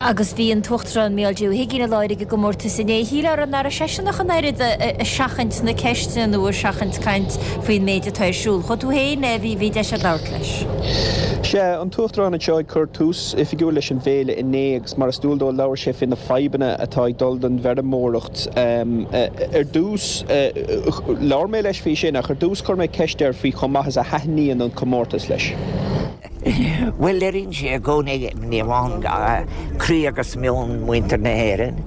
Agus bhí an tUachtarán Mícheál D. Ó hUigínn i láthair ag an gcomórtas inné. Shílfeá nach raibh seisean ach an oiread ag seachaint na ceisteanna nó ag seachaint caint faoin méid atá ar siúl. Chuaigh tú féin, bhí, bhí deis agat labhairt leis. Sea, an tUachtarán anseo ag cur tús oifigiúil leis an bhféile inné agus mar is dual dó labhair sé faoi na fadhbanna atá ag dul don bhfeirmeoireacht. Ar dtús, labhair mé leis faoi sin ach ar dtús chuir mé ceist air faoi chomh maith is a thaitníonn an comórtas leis. Bhuel, léiríonn sé i gcónaí, ní amháin croí agus meon muintir na hÉireann.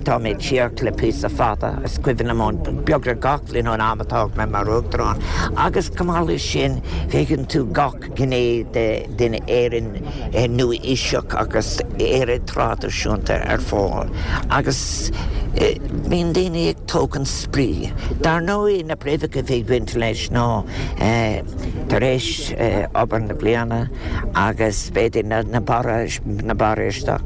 Tá mé ag tíocht le píosa fada, is cuimhin liom beagnach gach bhliain ón am a toghadh mé mar Uachtarán. Agus chomh maith leis sin, feiceann tú gach gné den Éirinn nua-aoiseach agus Éire traidisiúnta ar fáil. Agus bíonn daoine ag tógaint spraoi. Dar ndóigh, na préamhacha a bhí ag baint leis ná tar éis obair na bliana agus b'fhéidir na barra, na barra isteach,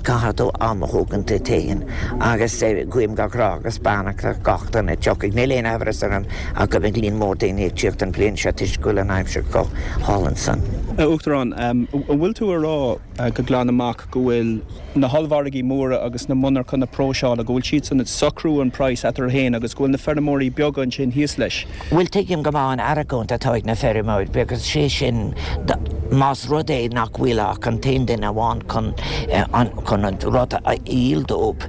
caithfidh tú am a thógaint duit féin agus guím gach rath agus beannacht ar gach duine a tiocfaidh. Níl aon amhras orm ach go mbeidh líon mór daoine ag tíocht an bhliain seo toisc go bhfuil an aimsir chomh hálainn san. A Uachtaráin, an bhfuil tú a rá go glan amach go bhfuil na hollmhargaí móra agus na monarchana próiseála, go bhfuil siadsan ag socrú an praghas eatarthu féin agus go bhfuil na feirmeoirí beaga ansin thíos leis. Bhuel, tuigim go maith an argóint atá ag na feirmeoirí beaga, sé sin, más rud é nach bhfuil ach an t-aon duine amháin chun an chun an rud a dhíol dóibh,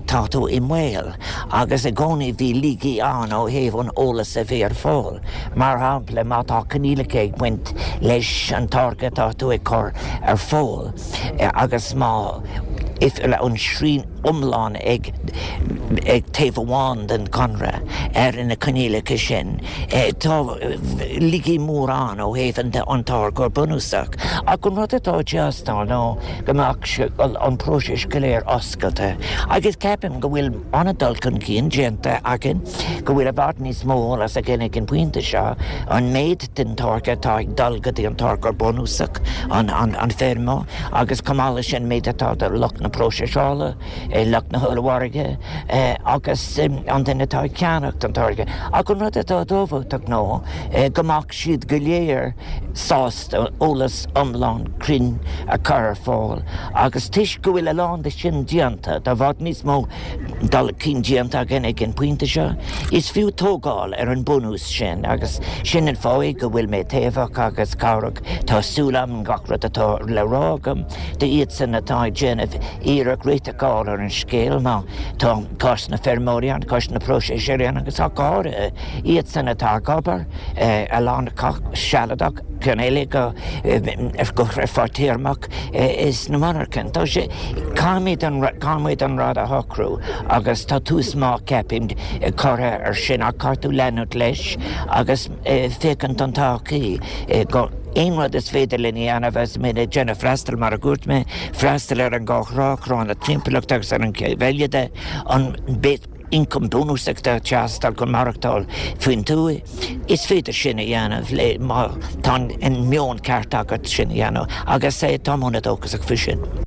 tá tú i mbaol. Agus i gcónaí bhí laigí ann ó thaobh an eolas a bhí ar fáil. Mar shampla, má tá coinníollacha ag baint leis an táirge atá tú ag cur ar fáil, agus má an srian iomlán ag taobh amháin den chonradh ar na coinníollacha sin, tá laigí mór ann ó thaobh an táirgeoir bunúsach. Ach an rud atá ag teastáil ná go mbeadh an próiseas go léir oscailte agus ceapaim go bhfuil an-dul chun cinn déanta againn, go bhfuil i bhfad níos mó eolas againn ag an bpointe seo, an méid den táirge atá ag dul go dtí an táirgeoir bunúsach, an feirmeoir, agus chomh maith leis sin an méid atá do lucht na próiseála, lucht na hollmhargaidh agus an duine atá ag ceannacht an táirge. Ach an rud atá tábhachtach ná go mbeadh siad go léir sásta eolas iomlán cruinn a chur ar fáil agus toisc go bhfuil a lán de sin déanta, tá i bhfad níos mó dul chun cinn déanta againn ag an bpointe seo. Is fiú tógáil ar an bunús sin agus sin an fáth é go bhfuil mé taobhach agus cabhrach. Tá súil agam gach rud atá le rá agam d'iadsan atá ag déanamh iarracht réiteach a fháil ar an scéal má tá cás na feirmeoirí ann, cás na próiseasóirí ann agus ach go háirithe iadsan atá ag obair, a lán acu sealadach, ceann eile go fadtéarmach sna monarchana. Tá sé, caithfimid an, caithfimid an rud a shocrú agus tá tús maith ceapaim curtha ar sin ach caithfidh tú leanúint leis agus féachaint don todhchaí go aon rud is féidir linn a dhéanamh agus muid ag déanamh freastal mar a dúirt mé, freastal ar an gá thrá, thrá na timpeallachta agus ar an gcéad eile de, an ioncam bunúsach atá ag teastáil chun maireachtáil faoin tuath. Is féidir sin a dhéanamh le má tá an meon ceart agat sin a dhéanamh agus táim an-dóchasach faoi sin.